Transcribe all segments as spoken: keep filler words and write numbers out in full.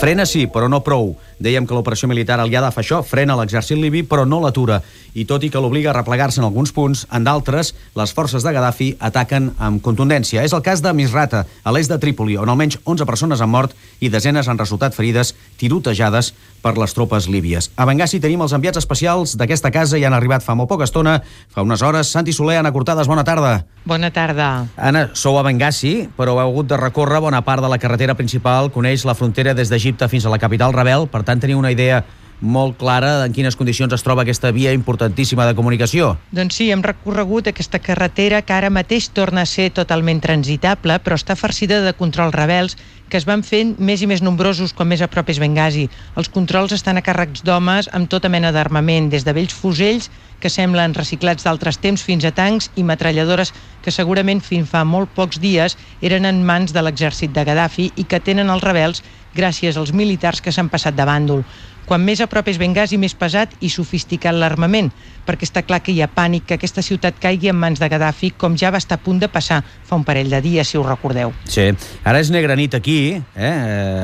Frena sí, però no prou. Dèiem que l'operació militar aliada fa això, frena l'exèrcit libi, però no l'atura. I tot i que l'obliga a replegar-se en alguns punts, en d'altres, les forces de Gaddafi ataquen amb contundència. És el cas de Misrata, a l'est de Trípoli, on almenys onze persones han mort i desenes han resultat ferides, tirotejades per les tropes líbies. A Bengasi tenim els enviats especials d'aquesta casa i han arribat fa molt poca estona, fa unes hores. Santi Soler, Anna Cortades, bona tarda. Bona tarda. Anna, sou a Bengasi, però heu hagut de recórrer bona part de la carretera principal, coneix la frontera des d'Egipte fins a la capital rebel, per tant teniu una idea molt clara en quines condicions es troba aquesta via importantíssima de comunicació. Doncs sí, hem recorregut aquesta carretera que ara mateix torna a ser totalment transitable, però està farcida de controls rebels que es van fent més i més nombrosos com més a prop és Bengasi. Els controls estan a càrrecs d'homes amb tota mena d'armament, des de vells fusells que semblen reciclats d'altres temps fins a tancs i metralladores que segurament fins fa molt pocs dies eren en mans de l'exèrcit de Gaddafi i que tenen els rebels gràcies als militars que s'han passat de bàndol. Quan més a prop és Bengasi, més pesat i sofisticat l'armament, perquè està clar que hi ha pànic que aquesta ciutat caigui en mans de Gaddafi, com ja va estar a punt de passar fa un parell de dies, si us recordeu. Sí, ara és negra nit aquí, eh?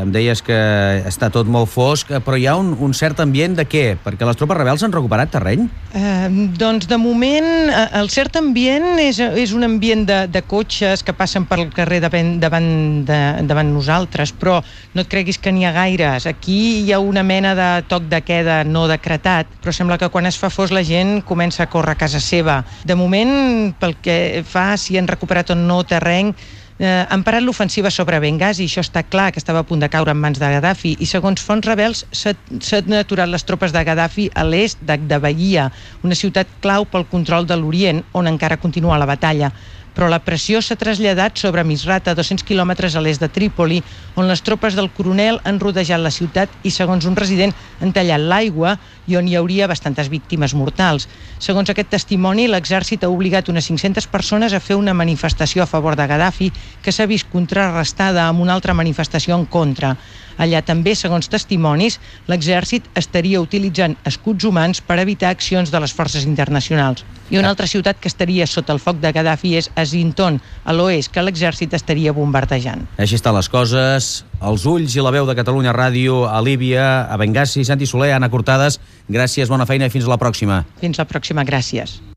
Em deies que està tot molt fosc, però hi ha un, un cert ambient de què? Perquè les tropes rebels han recuperat terreny? Eh, doncs de moment el cert ambient és, és un ambient de, de cotxes que passen pel carrer davant, davant, de, davant nosaltres, però no et creguis que n'hi ha gaires. Aquí hi ha una mena de toc de queda no decretat, però sembla que quan es fa fos la gent comença a córrer a casa seva. De moment, pel que fa si han recuperat o no terreny, eh, han parat l'ofensiva sobre Bengasi, això està clar, que estava a punt de caure en mans de Gaddafi, i segons fonts rebels s'han aturat les tropes de Gaddafi a l'est de, de Bahia, una ciutat clau pel control de l'Orient, on encara continua la batalla. Però la pressió s'ha traslladat sobre Misrata, dos-cents quilòmetres a l'est de Trípoli, on les tropes del coronel han rodejat la ciutat i, segons un resident, han tallat l'aigua i on hi hauria bastantes víctimes mortals. Segons aquest testimoni, l'exèrcit ha obligat unes cinc-centes persones a fer una manifestació a favor de Gaddafi que s'ha vist contrarrestada amb una altra manifestació en contra. Allà també, segons testimonis, l'exèrcit estaria utilitzant escuts humans per evitar accions de les forces internacionals. I una altra ciutat que estaria sota el foc de Gaddafi és Azinton, a l'oest, que l'exèrcit estaria bombardejant. Així estan les coses. Els ulls i la veu de Catalunya Ràdio a Líbia, a Bengasi. Santi Soler, Anna Cortades, gràcies, bona feina i fins a la pròxima. Fins la pròxima, gràcies.